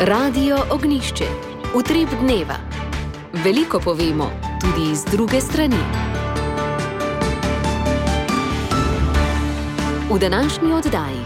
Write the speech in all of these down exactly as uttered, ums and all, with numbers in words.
Radio Ognišče, utrip dneva. Veliko povemo, tudi iz druge strani. V današnji oddaji.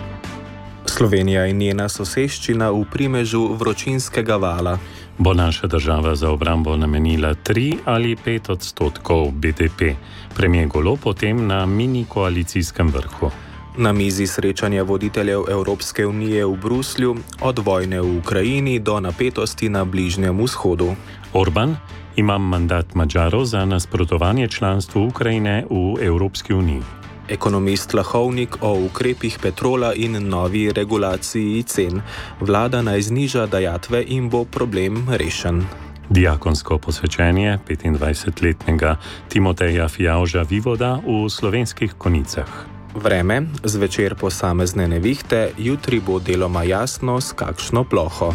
Slovenija in njena soseščina v primežu vročinskega vala. Bo naša država za obrambo namenila tri ali pet odstotkov B D P? Premier Golob potem na mini koalicijskem vrhu. Na mizi srečanja voditeljev Evropske unije v Bruslju, od vojne v Ukrajini do napetosti na Bližnjem vzhodu. Orban: imam mandat Madžarov za nasprotovanje članstvu Ukrajine v Evropski uniji. Ekonomist Lahovnik o ukrepih Petrola in novi regulaciji cen. Vlada naj zniža dajatve in bo problem rešen. Diakonsko posvečenje petindvajsetletnega Timoteja Fijavža Vivoda v Slovenskih Konjicah. Vreme, zvečer posamezne nevihte, jutri bo deloma jasno s kakšno ploho.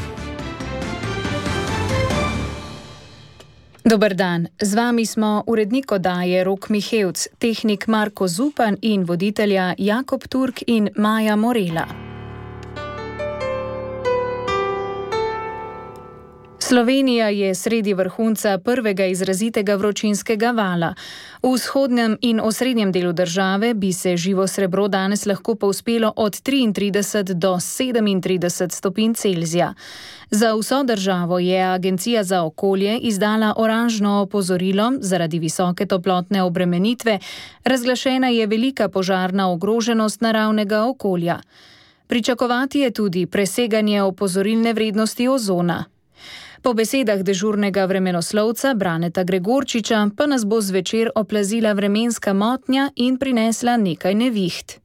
Dober dan, z vami smo urednik oddaje Rok Mihevc, tehnik Marko Zupan in voditelja Jakob Turk in Maja Morela. Slovenija je sredi vrhunca prvega izrazitega vročinskega vala. V vzhodnem in osrednjem delu države bi se živo srebro danes lahko povzpelo od triintrideset do sedemintrideset stopinj Celzija. Za vso državo je Agencija za okolje izdala oranžno opozorilo zaradi visoke toplotne obremenitve. Razglašena je velika požarna ogroženost naravnega okolja. Pričakovati je tudi preseganje opozorilne vrednosti ozona. Po besedah dežurnega vremenoslovca Braneta Gregorčiča pa nas bo zvečer oplazila vremenska motnja in prinesla nekaj neviht.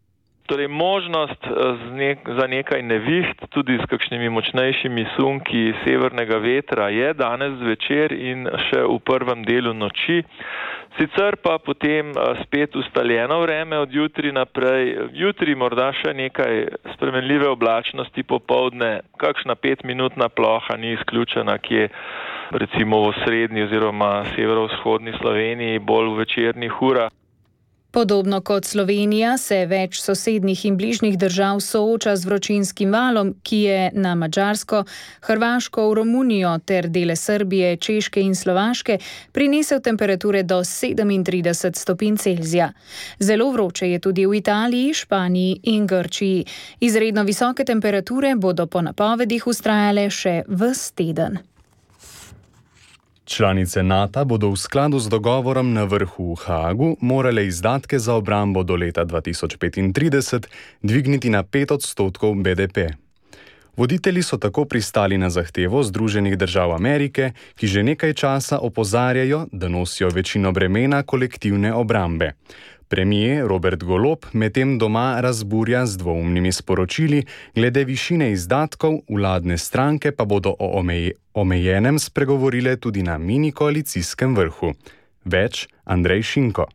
Torej, možnost za nekaj neviht, tudi s kakšnimi močnejšimi sunki severnega vetra, je danes zvečer in še v prvem delu noči. Sicer pa potem spet ustaljeno vreme od jutri naprej. Jutri morda še nekaj spremenljive oblačnosti popoldne, kakšna petminutna ploha ni izključena, kje recimo v srednji oziroma severovzhodni Sloveniji, bolj v večernih urah. Podobno kot Slovenija se več sosednjih in bližnjih držav sooča z vročinskim valom, ki je na Madžarsko, Hrvaško, v Romunijo ter dele Srbije, Češke in Slovaške prinesel temperature do sedemintrideset stopinj Celzija. Zelo vroče je tudi v Italiji, Španiji in Grčiji. Izredno visoke temperature bodo po napovedih vztrajale še ves teden. Članice Nata bodo v skladu z dogovorom na vrhu v Haagu morale izdatke za obrambo do leta dva tisoč petintrideset dvigniti na pet odstotkov B D P. Voditelji so tako pristali na zahtevo Združenih držav Amerike, ki že nekaj časa opozarjajo, da nosijo večino bremena kolektivne obrambe. Premier Robert Golob medtem doma razburja z dvoumnimi sporočili glede višine izdatkov, vladne stranke pa bodo o omeje, omejenem spregovorile tudi na mini koalicijskem vrhu. Več Andrej Šinko.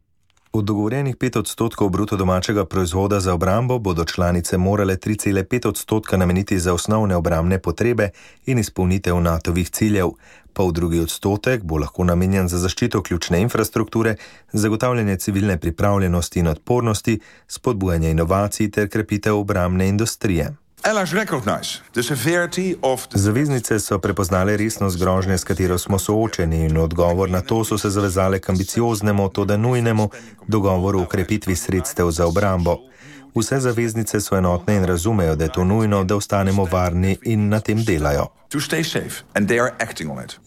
V dogovorjenih pet odstotkov bruto domačega proizvoda za obrambo bodo članice morale tri cele pet odstotka nameniti za osnovne obrambne potrebe in izpolnitev natovih ciljev. Pol drugi odstotek bo lahko namenjen za zaščito ključne infrastrukture, zagotavljanje civilne pripravljenosti in odpornosti, spodbujanje inovacij ter krepitev obrambne industrije. Zaveznice so prepoznale resnost grožnje, s katero smo soočeni, in odgovor na to so se zavezale k ambicioznemu, toda nujnemu dogovoru o krepitvi sredstev za obrambo. Vse zaveznice so enotne in razumejo, da je to nujno, da ostanemo varni, in na tem delajo.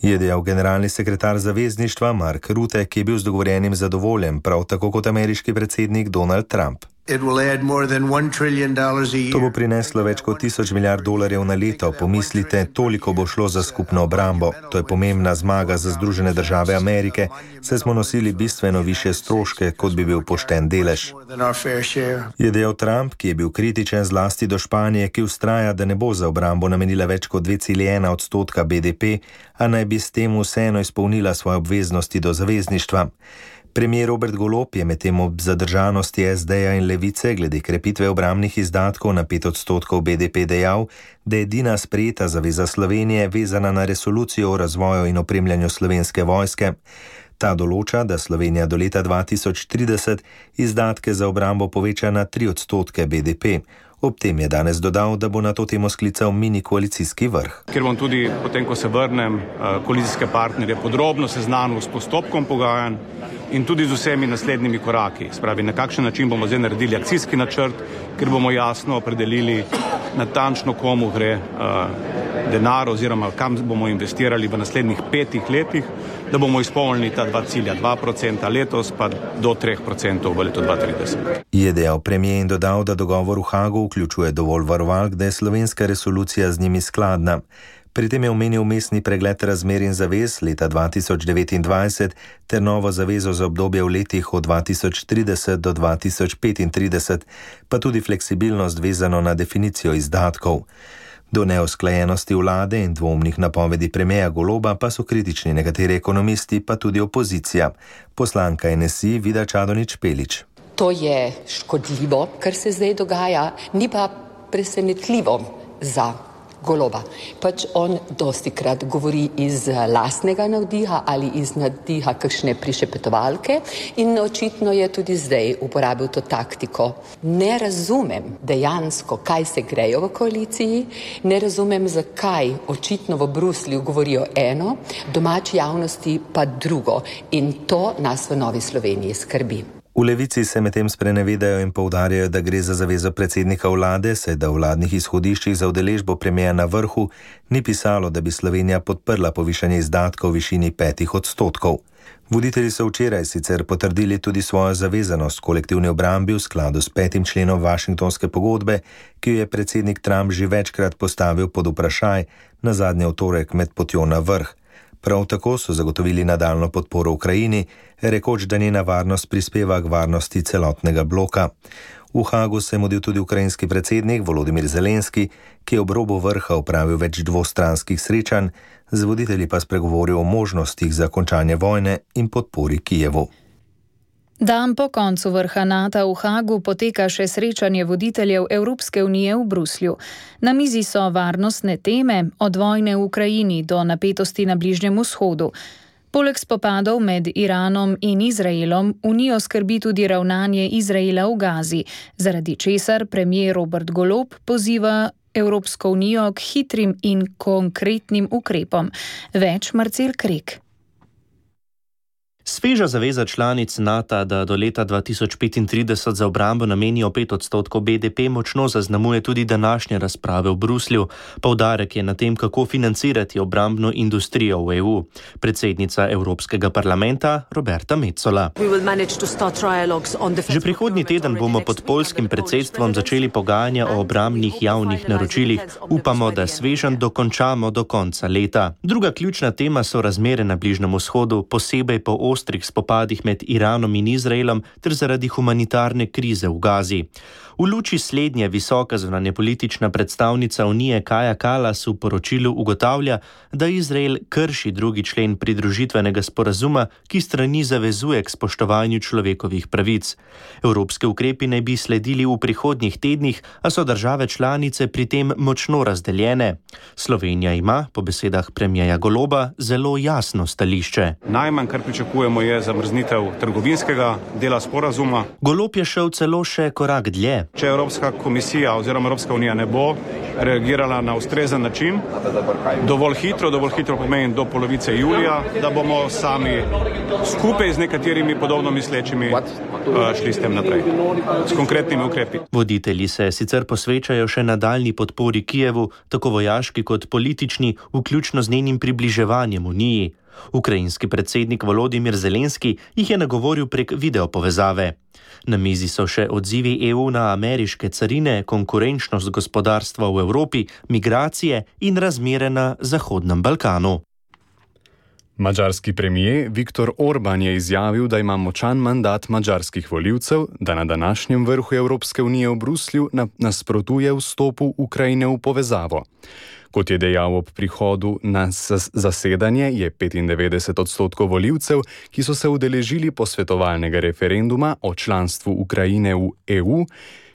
Je dejal generalni sekretar zavezništva Mark Rutte, ki je bil z dogovorjenim zadovoljen, prav tako kot ameriški predsednik Donald Trump. To bo prineslo več kot tisoč milijard dolarjev na leto. Pomislite, toliko bo šlo za skupno obrambo. To je pomembna zmaga za Združene države Amerike, saj smo nosili bistveno višje stroške, kot bi bil pošten delež. Je dejal Trump, ki je bil kritičen zlasti do Španije, ki vztraja, da ne bo za obrambo namenila več kot dve celi ena odstotka B D P, a naj bi s tem vseeno izpolnila svoje obveznosti do zavezništva. Premier Robert Golob je medtem ob zadržanosti S D-ja in Levice glede krepitve obrambnih izdatkov na pet odstotkov B D P dejal, da je edina sprejeta zaveza Slovenije vezana na resolucijo o razvoju in opremljanju slovenske vojske. Ta določa, da Slovenija do leta dva tisoč trideset izdatke za obrambo poveča na tri odstotke B D P. Ob tem je danes dodal, da bo na to temo sklical mini koalicijski vrh. Ker bom tudi, potem ko se vrnem, koalicijske partnerje podrobno seznanil s postopkom pogajanj in tudi z vsemi naslednjimi koraki. Spravi, na kakšen način bomo zdaj naredili akcijski načrt, ker bomo jasno opredelili natančno, komu gre uh, denar oziroma kam bomo investirali v naslednjih petih letih, da bomo izpolnili ta dva cilja, dva procenta letos pa do tri procente v letu dva tisoč trideset. Je dejal premier in dodal, da dogovor v Hagu vključuje dovolj varovalk, da je slovenska resolucija z njimi skladna. Pri tem je omenil mestni pregled razmer in zavez leta dva tisoč devetindvajset ter novo zavezo za obdobje v letih od dva tisoč trideset do dva tisoč petintrideset, pa tudi fleksibilnost vezano na definicijo izdatkov. Do neusklajenosti vlade in dvomnih napovedi premierja Goloba pa so kritični nekateri ekonomisti, pa tudi opozicija. Poslanka N S I Vida Čadonič Špelič. To je škodljivo, kar se zdaj dogaja, ni pa presenetljivo za Goloba. Pač on dostikrat govori iz lastnega navdiha ali iz navdiha kakšne prišepetovalke in očitno je tudi zdaj uporabil to taktiko. Ne razumem dejansko, kaj se grejo v koaliciji, ne razumem, zakaj očitno v Bruslju govorijo eno, domači javnosti pa drugo in to nas v Novi Sloveniji skrbi. V Levici se medtem sprenevedajo in poudarjajo, da gre za zavezo predsednika vlade, saj da v vladnih izhodiščih za udeležbo premierja na vrhu ni pisalo, da bi Slovenija podprla povišanje izdatkov v višini petih odstotkov. Voditelji so včeraj sicer potrdili tudi svojo zavezanost kolektivni obrambi v skladu s petim členom Washingtonske pogodbe, ki jo je predsednik Trump že večkrat postavil pod vprašaj, nazadnje v torek med potjo na vrh. Prav tako so zagotovili nadaljno podporo Ukrajini, rekoč, da njena varnost prispeva k varnosti celotnega bloka. V Hagu se je mudil tudi ukrajinski predsednik Volodimir Zelenski, ki je ob robu vrha opravil več dvostranskih srečanj, z voditelji pa spregovoril o možnostih za končanje vojne in podpori Kijevu. Dan po koncu vrha NATO v Hagu poteka še srečanje voditeljev Evropske unije v Bruslju. Na mizi so varnostne teme, od vojne v Ukrajini do napetosti na Bližnjem vzhodu. Poleg spopadov med Iranom in Izraelom, unijo skrbi tudi ravnanje Izraela v Gazi, zaradi česar premier Robert Golob poziva Evropsko unijo k hitrim in konkretnim ukrepom. Več Marcel Krek. Sveža zaveza članic NATO, da do leta dva tisoč petintrideset za obrambo namenijo pet odstotkov B D P, močno zaznamuje tudi današnje razprave v Bruslju. Poudarek je na tem, kako financirati obrambno industrijo v E U. Predsednica Evropskega parlamenta Roberta Metsola. Že prihodnji teden bomo pod poljskim predsedstvom začeli pogajanja o obrambnih javnih naročilih. Upamo, da sveženj dokončamo do konca leta. Druga ključna tema so razmere na Bližnjem vzhodu, posebej po ostrih spopadih med Iranom in Izraelom ter zaradi humanitarne krize v Gazi. V luči slednje visoka zunanjepolitična predstavnica Unije Kaja Kallas v poročilu ugotavlja, da Izrael krši drugi člen pridružitvenega sporazuma, ki strani zavezuje k spoštovanju človekovih pravic. Evropske ukrepi naj bi sledili v prihodnjih tednih, a so države članice pri tem močno razdeljene. Slovenija ima, po besedah premierja Goloba, zelo jasno stališče. Najmanj, kar pričakujemo, je zamrznitev trgovinskega dela sporazuma. Golob je šel celo še korak dlje. Če Evropska komisija oziroma Evropska unija ne bo reagirala na ustrezen način, dovolj hitro, dovolj hitro pomeni do polovice julija, da bomo sami skupaj z nekaterimi podobno mislečimi šli s tem naprej, s konkretnimi ukrepi. Voditelji se sicer posvečajo še nadaljni podpori Kijevu, tako vojaški kot politični, vključno z njenim približevanjem Uniji. Ukrajinski predsednik Volodimir Zelenski jih je nagovoril prek videopovezave. Na mizi so še odzivi E U na ameriške carine, konkurenčnost gospodarstva v Evropi, migracije in razmere na Zahodnem Balkanu. Madžarski premier Viktor Orban je izjavil, da ima močan mandat madžarskih volivcev, da na današnjem vrhu Evropske unije v Bruslju nasprotuje vstopu Ukrajine v povezavo. Kot je dejal ob prihodu na zasedanje, je petindevetdeset odstotkov volivcev, ki so se udeležili posvetovalnega referenduma o članstvu Ukrajine v E U,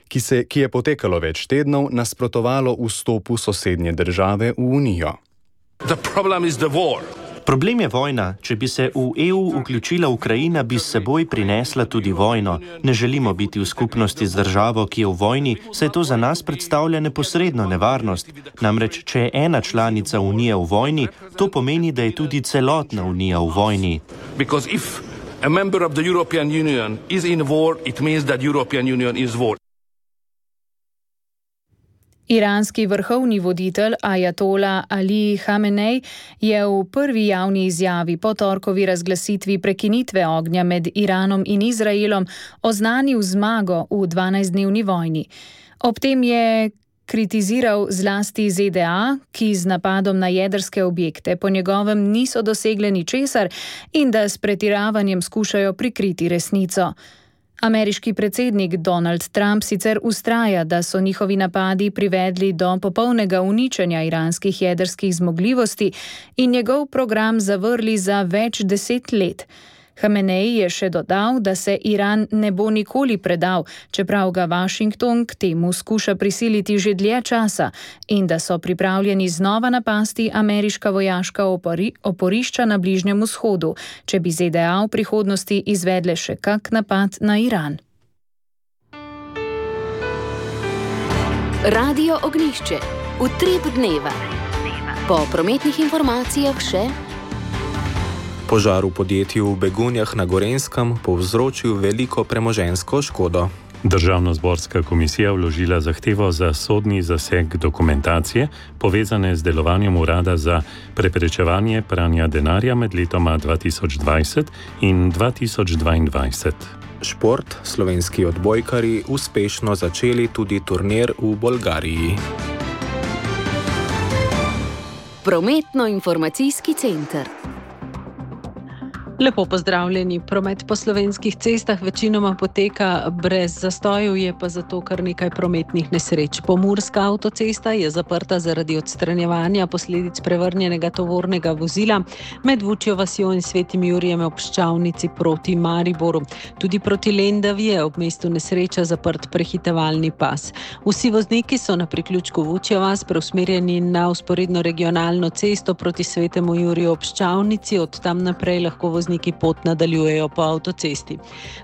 ki, se, ki je potekalo več tednov, nasprotovalo vstopu sosednje države v Unijo. Problem je vojna. Če bi se v E U vključila Ukrajina, bi s seboj prinesla tudi vojno. Ne želimo biti v skupnosti z državo, ki je v vojni, saj to za nas predstavlja neposredno nevarnost. Namreč, če je ena članica Unije v vojni, to pomeni, da je tudi celotna Unija v vojni. Because if a member of the European Union is in war, it means that European Union is war. Iranski vrhovni voditelj Ajatola Ali Hamenej je v prvi javni izjavi po torkovi razglasitvi prekinitve ognja med Iranom in Izraelom oznanil zmago v dvanajstdnevni vojni. Ob tem je kritiziral zlasti Z D A, ki z napadom na jedrske objekte po njegovem niso dosegle ničesar in da s pretiravanjem skušajo prikriti resnico. Ameriški predsednik Donald Trump sicer vztraja, da so njihovi napadi privedli do popolnega uničenja iranskih jedrskih zmogljivosti in njegov program zavrli za več deset let. Hamenej je še dodal, da se Iran ne bo nikoli predal, čeprav ga Washington k temu skuša prisiliti že dlje časa in da so pripravljeni znova napasti ameriška vojaška opori, oporišča na Bližnjem vzhodu, če bi Z D A v prihodnosti izvedle še kak napad na Iran. Radio Ognjišče. Utrip dneva. Po prometnih informacijah še požar v podjetju v Begunjah na Gorenjskem povzročil veliko premoženjsko škodo. Državnozborska komisija vložila zahtevo za sodni zaseg dokumentacije, povezane z delovanjem urada za preprečevanje pranja denarja med letoma dva tisoč dvajset in dva tisoč dvaindvajset. Šport, slovenski odbojkarji uspešno začeli tudi turnir v Bolgariji. Prometno-informacijski center. Lepo pozdravljeni. Promet po slovenskih cestah večinoma poteka brez zastojev, je pa zato kar nekaj prometnih nesreč. Pomurska avtocesta je zaprta zaradi odstranjevanja posledic prevrnjenega tovornega vozila med Vučjo vasjo in Svetim Jurijem ob Ščavnici proti Mariboru. Tudi proti Lendavi je ob mestu nesreča zaprt prehitevalni pas. Vsi vozniki so na priključku Vučja vas preusmerjeni na vzporedno regionalno cesto proti Svetemu Juriju ob Ščavnici, od tam naprej lahko vozniki pot nadaljujejo po avtocesti.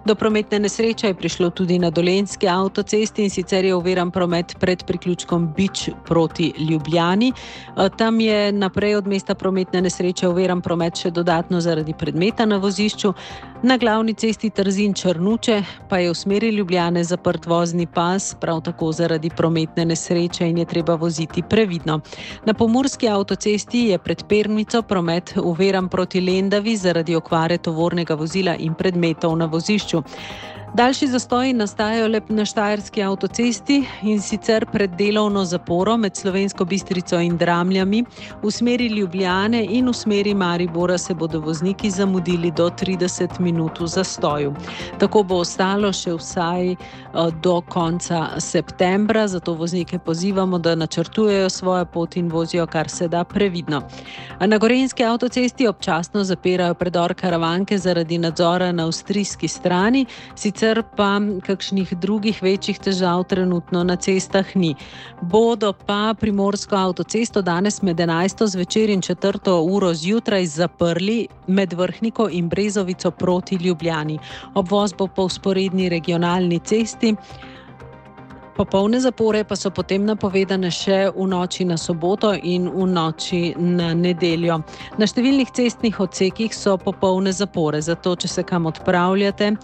Do prometne nesreče je prišlo tudi na Dolenjski avtocesti, in sicer je oviran promet pred priključkom Bič proti Ljubljani. Tam je naprej od mesta prometne nesreče oviran promet še dodatno zaradi predmeta na vozišču. Na glavni cesti Trzin-Črnuče pa je v smeri Ljubljane zaprt vozni pas, prav tako zaradi prometne nesreče, in je treba voziti previdno. Na pomurski avtocesti je pred Pernico promet oviran proti Lendavi zaradi okvare tovornega vozila in predmetov na vozišču. Daljši zastoji nastajajo le na Štajerski avtocesti, in sicer pred delovno zaporo med Slovensko Bistrico in Dramljami. V smeri Ljubljane in v smeri Maribora se bodo vozniki zamudili do trideset minut v zastoju. Tako bo ostalo še vsaj do konca septembra, zato voznike pozivamo, da načrtujejo svojo pot in vozijo kar se da previdno. Na Gorenjski avtocesti občasno zapirajo predor Karavanke zaradi nadzora na avstrijski strani, sicer pa kakšnih drugih večjih težav trenutno na cestah ni. Bodo pa Primorsko avtocesto danes med enajsto zvečer in četrto uro zjutraj zaprli med Vrhniko in Brezovico proti Ljubljani. Obvoz bo po vzporedni regionalni cesti. Popolne zapore pa so potem napovedane še v noči na soboto in v noči na nedeljo. Na številnih cestnih odsekih so popolne zapore, zato če se kam odpravljate,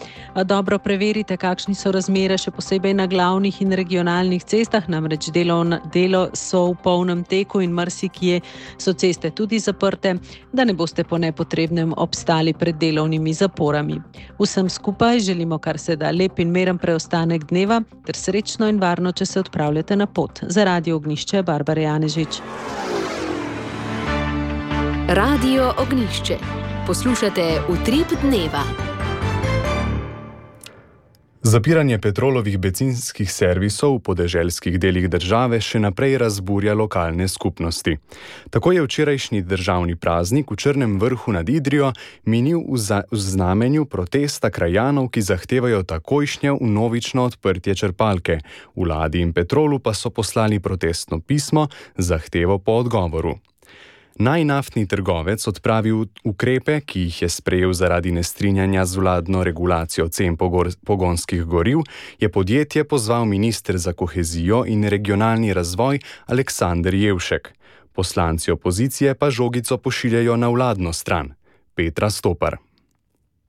dobro preverite, kakšni so razmere, še posebej na glavnih in regionalnih cestah, namreč delo, delo so v polnem teku in marsikje so ceste tudi zaprte, da ne boste po nepotrebnem obstali pred delovnimi zaporami. Vsem skupaj želimo kar se da lep in miren preostanek dneva ter srečno in varno, če se odpravljate na pot. Za Radio Ognjišče, Barbara Janežič. Radio Ognjišče. Poslušate Utrip dneva. Zapiranje Petrolovih bencinskih servisov v podeželskih delih države še naprej razburja lokalne skupnosti. Tako je včerajšnji državni praznik v Črnem Vrhu nad Idrijo minil v, za, v znamenju protesta krajanov, ki zahtevajo takojšnje vnovično odprtje črpalke. Vladi in Petrolu pa so poslali protestno pismo z zahtevo po odgovoru. Naj naftni trgovec odpravi ukrepe, ki jih je sprejel zaradi nestrinjanja z vladno regulacijo cen pogonskih goriv, je podjetje pozval minister za kohezijo in regionalni razvoj Aleksander Jevšek. Poslanci opozicije pa žogico pošiljajo na vladno stran. Petra Stopar.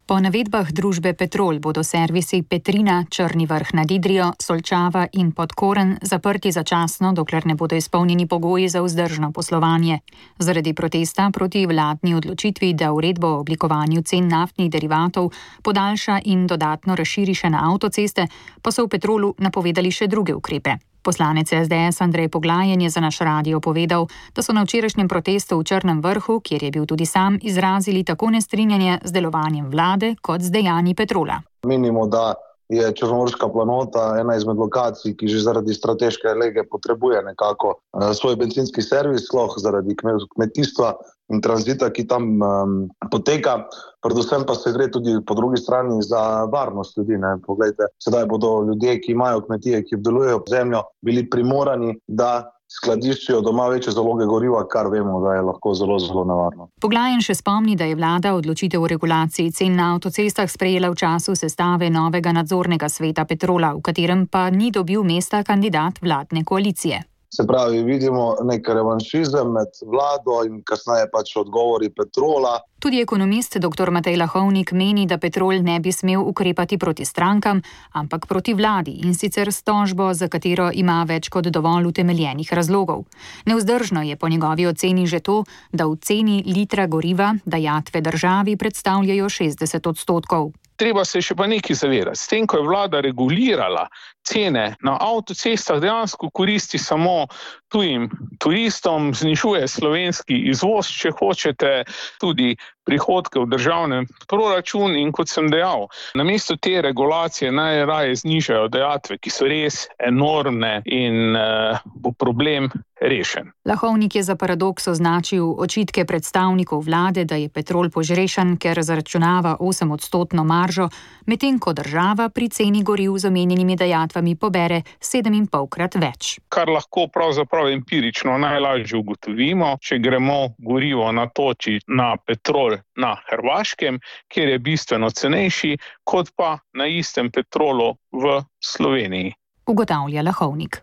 Po navedbah družbe Petrol bodo servisi Petrina, Črni vrh nad Idrijo, Solčava in Podkoren zaprti začasno, dokler ne bodo izpolnjeni pogoji za vzdržno poslovanje. Zaradi protesta proti vladni odločitvi, da uredbo o oblikovanju cen naftnih derivatov podaljša in dodatno razširi še na avtoceste, pa so v Petrolu napovedali še druge ukrepe. Poslanec es de es Andrej Poglajen je za naš radio povedal, da so na včerajšnjem protestu v Črnem vrhu, kjer je bil tudi sam, izrazili tako nestrinjanje z delovanjem vlade kot z dejanji Petrola. Menimo, da je Črnomorska planota ena izmed lokacij, ki že zaradi strateške lege potrebuje nekako svoj bencinski servis, sploh zaradi kmetijstva in tranzita, ki tam um, poteka. Predvsem pa se gre tudi po drugi strani za varnost ljudi. Ne? Poglejte, sedaj bodo ljudje, ki imajo kmetije, ki obdelujejo zemljo, bili primorani, da skladiščijo doma večje zaloge goriva, kar vemo, da je lahko zelo, zelo nevarno. Poglajen še spomni, da je vlada odločitev o regulaciji cen na avtocestah sprejela v času sestave novega nadzornega sveta Petrola, v katerem pa ni dobil mesta kandidat vladne koalicije. Se pravi, vidimo nek revanšizem med vlado in kasneje pač odgovori Petrola. Tudi ekonomist doktor Matej Lahovnik meni, da Petrol ne bi smel ukrepati proti strankam, ampak proti vladi, in sicer s tožbo, za katero ima več kot dovolj utemeljenih razlogov. Nevzdržno je po njegovi oceni že to, da v ceni litra goriva dajatve državi predstavljajo šestdeset odstotkov. Treba se še pa nekaj zavedati. S tem, ko je vlada regulirala cene na avtocestah, dejansko koristi samo tujim turistom, znižuje slovenski izvoz, če hočete, tudi prihodke v državnem proračun, in kot sem dejal, namesto te regulacije najraje znižajo dajatve, ki so res enormne, in uh, bo problem rešen. Lahovnik je za paradoks označil očitke predstavnikov vlade, da je Petrol požrešen, ker zaračunava osemodstotno maržo, medtem ko država pri ceni goriv z omenjenimi dajatvami pobere sedemindpolkrat več. Kar lahko pravzaprav empirično najlažje ugotovimo, če gremo gorivo natočiti na Petrol na Hrvaškem, kjer je bistveno cenejši, kot pa na istem Petrolu v Sloveniji. Ugotavlja Lahovnik.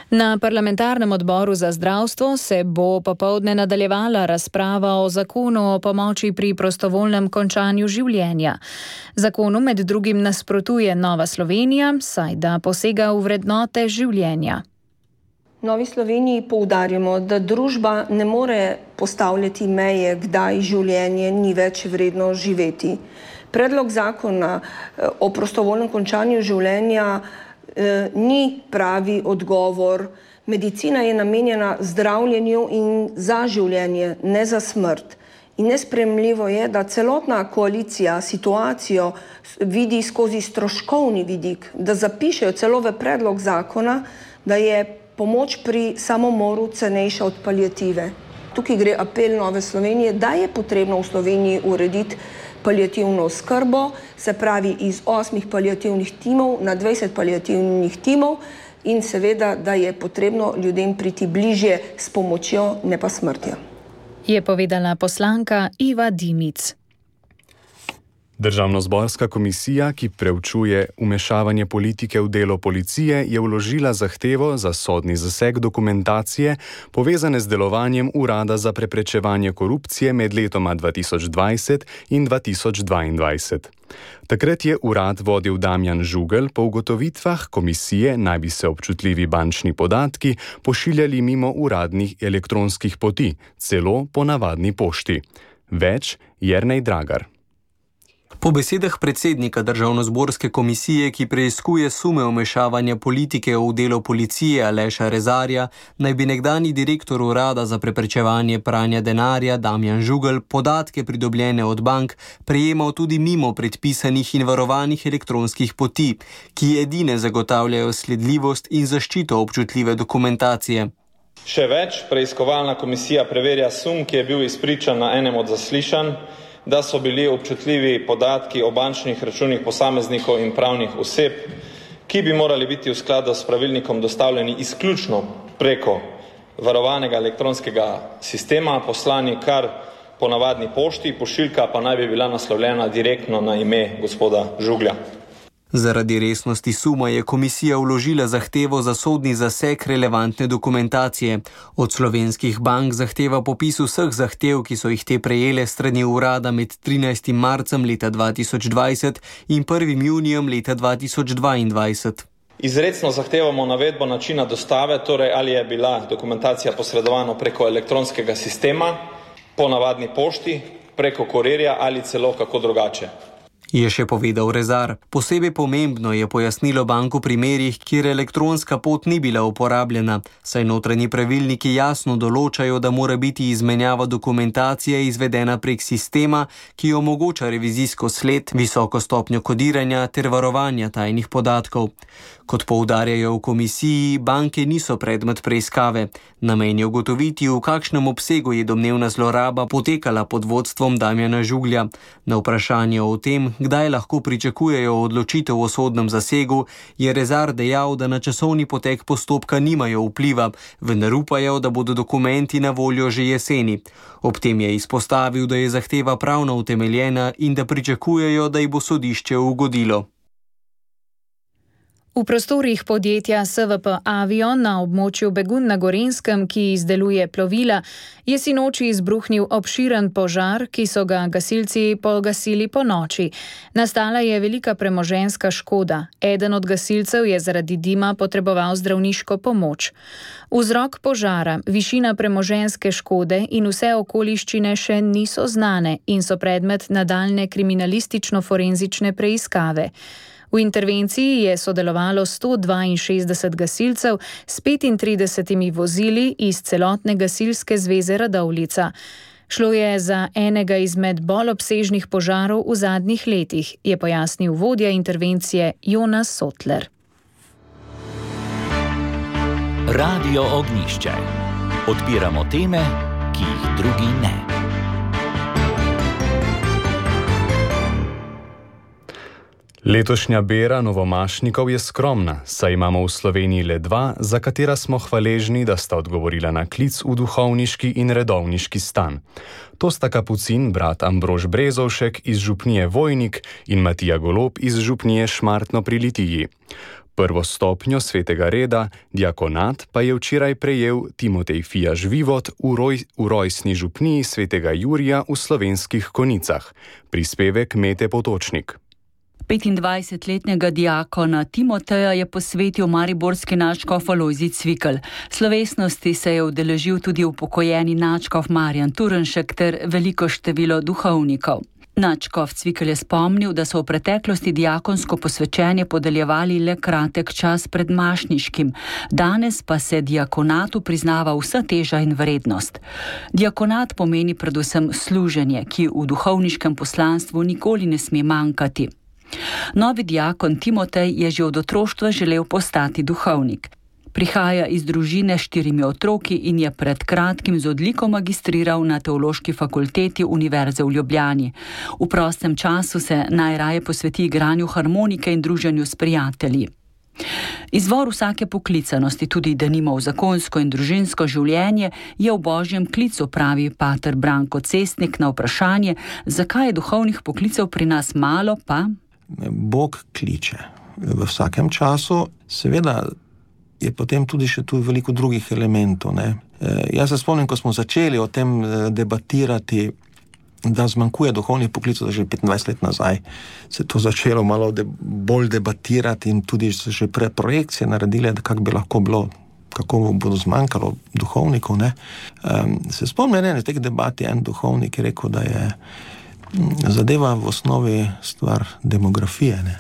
Na parlamentarnem odboru za zdravstvo se bo popoldne nadaljevala razprava o zakonu o pomoči pri prostovoljnem končanju življenja. Zakonu med drugim nasprotuje Nova Slovenija, saj da posega v vrednote življenja. Novi Sloveniji poudarjamo, da družba ne more postavljati meje, kdaj življenje ni več vredno živeti. Predlog zakona o prostovoljnem končanju življenja eh, ni pravi odgovor. Medicina je namenjena zdravljenju in za življenje, ne za smrt. In nesprejemljivo je, da celotna koalicija situacijo vidi skozi stroškovni vidik, da zapišejo celo v predlog zakona, da je pomoč pri samomoru cenejša od paliative. Tukaj gre apel Nove Slovenije, da je potrebno v Sloveniji urediti paliativno oskrbo, se pravi iz osmih paliativnih timov na dvajset paliativnih timov, in seveda, da je potrebno ljudem priti bližje s pomočjo, ne pa smrtjo. Je povedala poslanka Iva Dimic. Državnozborska komisija, ki preučuje vmešavanje politike v delo policije, je vložila zahtevo za sodni zaseg dokumentacije povezane z delovanjem Urada za preprečevanje korupcije med letoma dva tisoč dvajset in dva tisoč dvaindvajset. Takrat je urad vodil Damjan Žugelj, po ugotovitvah komisije naj bi se občutljivi bančni podatki pošiljali mimo uradnih elektronskih poti, celo po navadni pošti. Več Jernej Dragar. Po besedah predsednika Državnozborske komisije, ki preiskuje sume vmešavanja politike v delo policije Aleša Rezarja, naj bi nekdanji direktor Urada za preprečevanje pranja denarja Damjan Žugelj podatke pridobljene od bank prejemal tudi mimo predpisanih in varovanih elektronskih poti, ki edine zagotavljajo sledljivost in zaščito občutljive dokumentacije. Še več, preiskovalna komisija preverja sum, ki je bil izpričan na enem od zaslišanj, da so bili občutljivi podatki o bančnih računih posameznikov in pravnih oseb, ki bi morali biti v skladu s pravilnikom dostavljeni izključno preko varovanega elektronskega sistema poslani kar po navadni pošti, pošiljka pa naj bi bila naslovljena direktno na ime gospoda Žuglja. Zaradi resnosti suma je komisija vložila zahtevo za sodni zaseg relevantne dokumentacije. Od slovenskih bank zahteva popis vseh zahtev, ki so jih te prejele strani urada med trinajstim marcem leta dva tisoč dvajset in prvim junijem leta dva tisoč dvaindvajset. Izrecno zahtevamo navedbo načina dostave, torej ali je bila dokumentacija posredovana preko elektronskega sistema, po navadni pošti, preko kurirja ali celo kako drugače. Je še povedal Rezar. Posebej pomembno je pojasnilo bank v primerih, kjer elektronska pot ni bila uporabljena, saj notranji pravilniki jasno določajo, da mora biti izmenjava dokumentacije izvedena prek sistema, ki omogoča revizijsko sled, visoko stopnjo kodiranja ter varovanja tajnih podatkov. Kot poudarjajo v komisiji, banke niso predmet preiskave. Namen je ugotoviti, v kakšnem obsegu je domnevna zloraba potekala pod vodstvom Damjana Žuglja. Na vprašanje o tem, kdaj lahko pričakujejo odločitev o sodnem zasegu, je Rezar dejal, da na časovni potek postopka nimajo vpliva, vendar upajo, da bodo dokumenti na voljo že jeseni. Ob tem je izpostavil, da je zahteva pravno utemeljena in da pričakujejo, da ji bo sodišče ugodilo. V prostorih podjetja S V P Avion na območju Begunj na Gorenjskem, ki izdeluje plovila, je sinoči izbruhnil obširen požar, ki so ga gasilci pogasili po noči. Nastala je velika premoženjska škoda. Eden od gasilcev je zaradi dima potreboval zdravniško pomoč. Vzrok požara, višina premoženjske škode in vse okoliščine še niso znane in so predmet nadaljne kriminalistično-forenzične preiskave. V intervenciji je sodelovalo sto dvainšestdeset gasilcev s petintridesetimi vozili iz celotne gasilske zveze Radovljica. Šlo je za enega izmed bolj obsežnih požarov v zadnjih letih, je pojasnil vodja intervencije Jonas Sotler. Radio Ognjišče. Odpiramo teme, ki jih drugi ne. Letošnja bera novomašnikov je skromna, saj imamo v Sloveniji le dva, za katera smo hvaležni, da sta odgovorila na klic v duhovniški in redovniški stan. To sta kapucin brat Ambrož Brezovšek iz župnije Vojnik in Matija Golob iz župnije Šmartno pri Litiji. Prvo stopnjo svetega reda, diakonat, pa je včeraj prejel Timotej Fijaž Vivot v, roj, v rojstni župniji svetega Jurija v Slovenskih Konicah. Prispevek Mete Potočnik. petindvajsetletnega diakona Timoteja je posvetil mariborski nadškof Alojzij Cvikl. Slovesnosti se je udeležil tudi upokojeni nadškof Marjan Turnšek ter veliko število duhovnikov. Nadškof Cvikl je spomnil, da so v preteklosti diakonsko posvečenje podeljevali le kratek čas pred mašniškim. Danes pa se diakonatu priznava vsa teža in vrednost. Diakonat pomeni predvsem služenje, ki v duhovniškem poslanstvu nikoli ne sme manjkati. Novi diakon Timotej je že od otroštva želel postati duhovnik. Prihaja iz družine s štirimi otroki in je pred kratkim z odliko magistriral na Teološki fakulteti Univerze v Ljubljani. V prostem času se najraje posveti igranju harmonike in druženju s prijatelji. Izvor vsake poklicanosti, tudi denimo v zakonsko in družinsko življenje, je v božjem klicu, pravi pater Branko Cestnik na vprašanje, zakaj je duhovnih poklicev pri nas malo, pa... Bog kliče v vsakem času, seveda je potem tudi še tu veliko drugih elementov. Ne? E, jaz se spomnim, ko smo začeli o tem debatirati, da zmanjkuje duhovnih poklicev, že petindvajset let nazaj se to začelo malo de, bolj debatirati in tudi se že pre projekcije naredile, da kako bi lahko bilo, kako bodo zmanjkalo duhovnikov. Ne? Um, se spomnim, ne, v teh debati en duhovnik je rekel, da je zadeva v osnovi stvar demografije. Ne?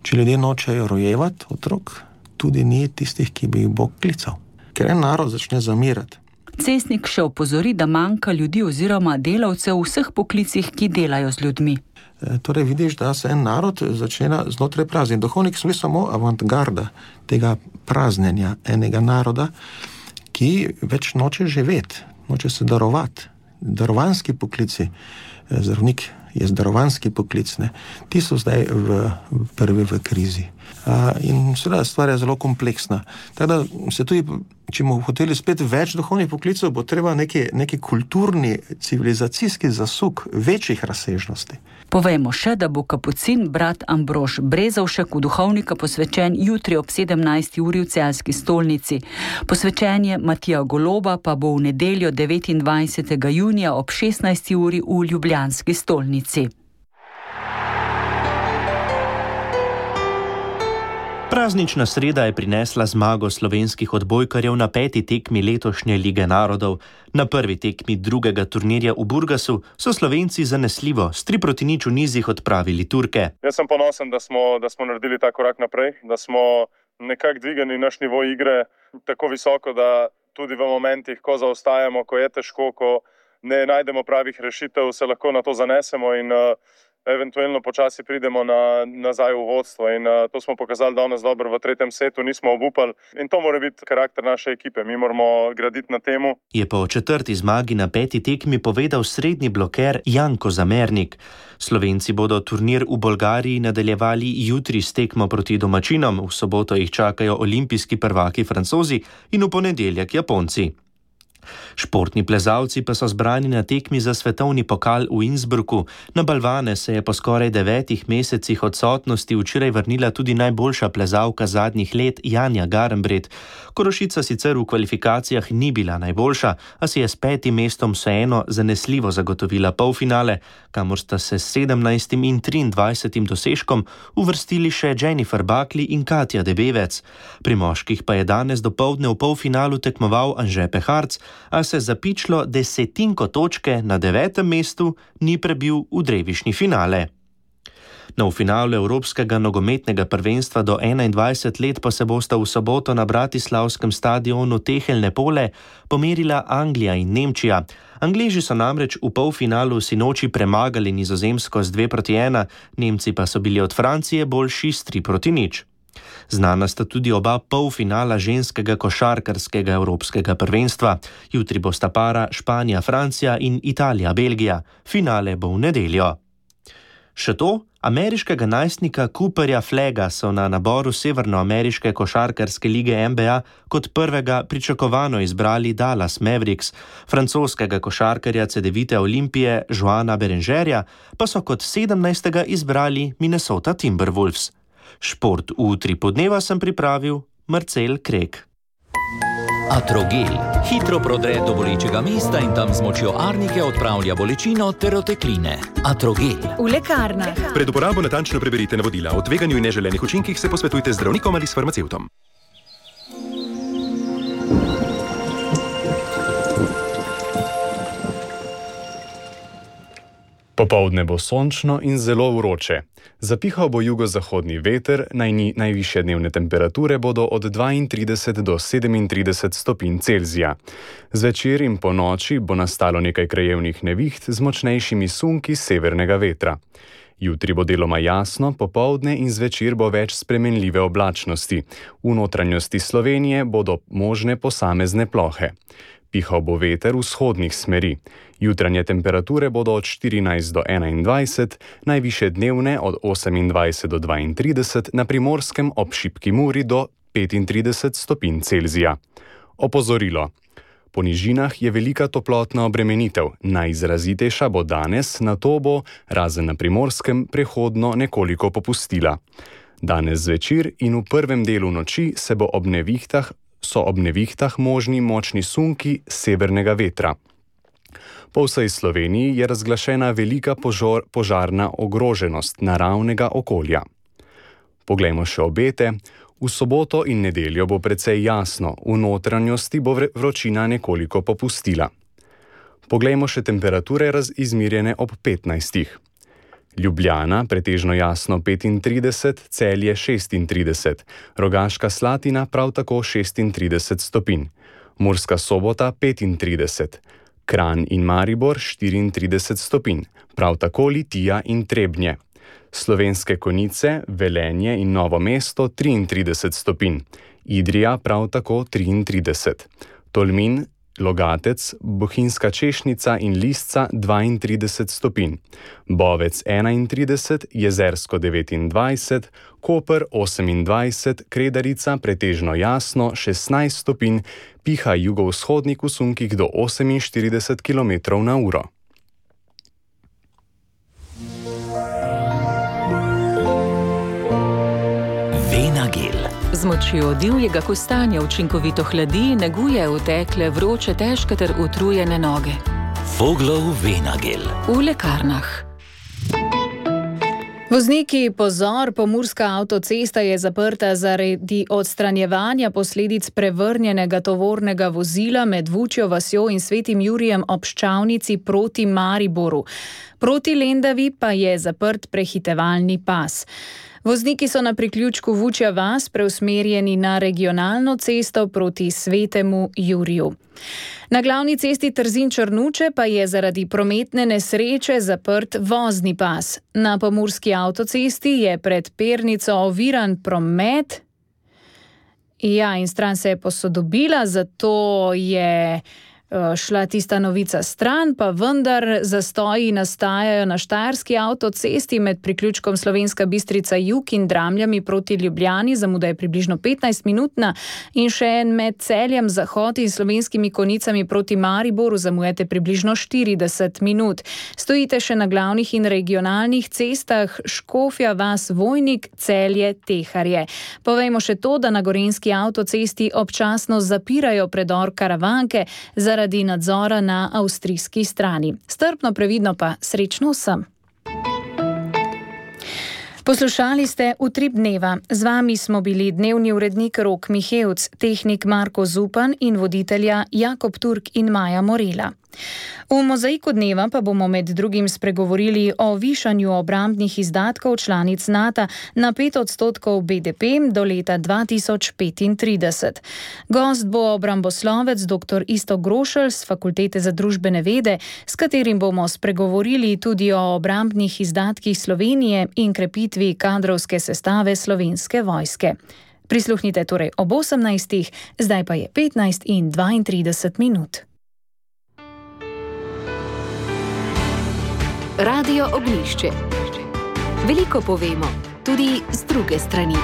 Če ljudje nočejo rojevati otrok, tudi ni tistih, ki bi jih Bog klical. Ker en narod začne zamirati. Cestnik še opozori, da manjka ljudi oziroma delavcev v vseh poklicih, ki delajo z ljudmi. E, torej vidiš, da se en narod začne znotraj prazniti. Duhovniki so bili samo avantgarda tega praznjenja enega naroda, ki več noče živeti, noče se darovati. Darovanski poklici, zdravnik je zdarovanski poklic, ne? Ti so zdaj v, prvi v krizi. In seveda stvar je zelo kompleksna. Tako da se tudi, če bomo hoteli spet več duhovnih poklicev, bo treba neki, neki kulturni, civilizacijski zasuk večjih razsežnosti. Povejmo še, da bo kapucin brat Ambrož Brezovšek v duhovnika posvečen jutri ob sedemnajsti uri v Celjski stolnici. Posvečenje Matija Goloba pa bo v nedeljo devetindvajsetega junija ob šestnajsti uri v ljubljanski stolnici. Praznična sreda je prinesla zmago slovenskih odbojkarjev na peti tekmi letošnje Lige narodov. Na prvi tekmi drugega turnirja v Burgasu so Slovenci zanesljivo s tri proti nič v nizih odpravili Turke. Jaz sem ponosen, da smo, da smo naredili ta korak naprej, da smo nekako dvigali naš nivo igre tako visoko, da tudi v momentih, ko zaostajamo, ko je težko, ko ne najdemo pravih rešitev, se lahko na to zanesemo in uh, eventualno počasi pridemo na, nazaj v vodstvo in uh, to smo pokazali danes dobro v tretjem setu, nismo obupali in to mora biti karakter naše ekipe, mi moramo graditi na temu. Je pa o četrti zmagi na peti tekmi povedal srednji bloker Janko Zamernik. Slovenci bodo turnir v Bolgariji nadaljevali jutri s tekmo proti domačinom, v soboto jih čakajo olimpijski prvaki Francozi in v ponedeljek Japonci. Športni plezalci pa so zbrani na tekmi za svetovni pokal v Innsbrucku. Na balvane se je po skoraj devetih mesecih odsotnosti včeraj vrnila tudi najboljša plezalka zadnjih let Janja Garnbret. Korošica sicer v kvalifikacijah ni bila najboljša, a si je s petim mestom vseeno zanesljivo zagotovila polfinale, kamor sta se s sedemnajstim in triindvajsetim dosežkom uvrstili še Jennifer Buckley in Katja Debevec. Pri moških pa je danes dopoldne v polfinalu tekmoval Anže Peharc, a se zapičlo desetinko točke na devetem mestu ni prebil v drevišnji finale. Na v finalu Evropskega nogometnega prvenstva do enaindvajset let pa se bosta v soboto na bratislavskem stadionu Tehelne pole pomerila Anglija in Nemčija. Angleži so namreč v polfinalu sinoči premagali Nizozemsko z dve proti ena, Nemci pa so bili od Francije boljši s tri proti nič. Znana sta tudi oba polfinala ženskega košarkarskega evropskega prvenstva. Jutri bosta para Španija-Francija in Italija-Belgija. Finale bo v nedeljo. Še to, ameriškega najstnika Cooperja Flagga so na naboru severnoameriške košarkarske lige N B A kot prvega pričakovano izbrali Dallas Mavericks, francoskega košarkarja Cedevite Olimpije Joana Berengerja pa so kot sedemnajstega izbrali Minnesota Timberwolves. Šport v tri podneva sem pripravil Marcel Krek. Atrogel hitro prodre do bolečega mesta in tam z močjo arnike odpravlja bolečino ter otekline. Atrogel. V lekarnah. Pred uporabo natančno preberite navodila. O tveganju in neželenih učinkih se posvetujte z zdravnikom ali s farmacevtom. Popoldne bo sončno in zelo vroče. Zapihal bo jugozahodni veter, najni, najvišje dnevne temperature bodo od dvaintrideset do sedemintrideset stopinj Celzija. Zvečer in po noči bo nastalo nekaj krajevnih neviht z močnejšimi sunki severnega vetra. Jutri bo deloma jasno, popoldne in zvečer bo več spremenljive oblačnosti. V notranjosti Slovenije bodo možne posamezne plohe. Pihal bo veter vzhodnih smeri. Jutranje temperature bodo od štirinajst do enaindvajset, najvišje dnevne od osemindvajset do dvaintrideset, na Primorskem ob šibki Muri do petintrideset stopinj Celzija. Opozorilo. Po nižinah je velika toplotna obremenitev, najizrazitejša bo danes, nato bo, razen na Primorskem, prehodno nekoliko popustila. Danes zvečer in v prvem delu noči se bo ob nevihtah so ob nevihtah možni močni sunki severnega vetra. Po vsej Sloveniji je razglašena velika požor, požarna ogroženost naravnega okolja. Poglejmo še obete. V soboto in nedeljo bo precej jasno, v notranjosti bo vročina nekoliko popustila. Poglejmo še temperature izmerjene ob petnajstih. Ljubljana, pretežno jasno petintrideset, Celje šestintrideset, Rogaška Slatina prav tako šestintrideset stopinj, Murska Sobota petintrideset, Kranj in Maribor štiriintrideset stopinj, prav tako Litija in Trebnje. Slovenske Konjice, Velenje in Novo mesto triintrideset stopinj, Idrija prav tako triintrideset, Tolmin Logatec, Bohinjska Češnica in Lisca dvaintrideset stopinj, Bovec enaintrideset, Jezersko devetindvajset, Koper osemindvajset, Kredarica pretežno jasno šestnajst stopinj, piha jugovzhodnik v sunkih do oseminštirideset kilometrov na uro. Venagel. Z močjo divjega kostanja učinkovito hladi, neguje utekle, vroče, težke ter utrujene noge. Voglov Venagel. V lekarnah. Vozniki, pozor, pomurska avtocesta je zaprta zaradi odstranjevanja posledic prevrnjenega tovornega vozila med Vučjo vasjo in Svetim Jurijem ob Ščavnici proti Mariboru. Proti Lendavi pa je zaprt prehitevalni pas. Vozniki so na priključku Vučja vas preusmerjeni na regionalno cesto proti Svetemu Juriju. Na glavni cesti Trzin-Črnuče pa je zaradi prometne nesreče zaprt vozni pas. Na pomurski avtocesti je pred Pernico oviran promet. Ja, in stran se je posodobila, zato je šla tista novica stran, pa vendar zastoji nastajajo na štajerski avtocesti med priključkom Slovenska Bistrica Jug in Dramljami proti Ljubljani, zamuda je približno petnajst minutna, in še en med Celjem Zahod in Slovenskimi Konicami proti Mariboru zamujate približno štirideset minut. Stojite še na glavnih in regionalnih cestah Škofja vas Vojnik, Celje, Teharje. Povejmo še to, da na gorenjski avtocesti občasno zapirajo predor Karavanke zaradi nadzora na avstrijski strani. Strpno, previdno pa srečno vsem. Poslušali ste Utrip dneva. Z vami smo bili dnevni urednik Rok Mihevc, tehnik Marko Zupan in voditelja Jakob Turk in Maja Morela. V mozaiku dneva pa bomo med drugim spregovorili o višanju obrambnih izdatkov članic NATO na pet odstotkov B D P do leta dva tisoč petintrideset. Gost bo obramboslovec dr. Iztok Grošelj z Fakultete za družbene vede, s katerim bomo spregovorili tudi o obrambnih izdatkih Slovenije in krepitvi kadrovske sestave Slovenske vojske. Prisluhnite torej ob osemnajstih, zdaj pa je petnajst in dvaintrideset minut. Radio Ognjišče. Veliko povemo, tudi z druge strani.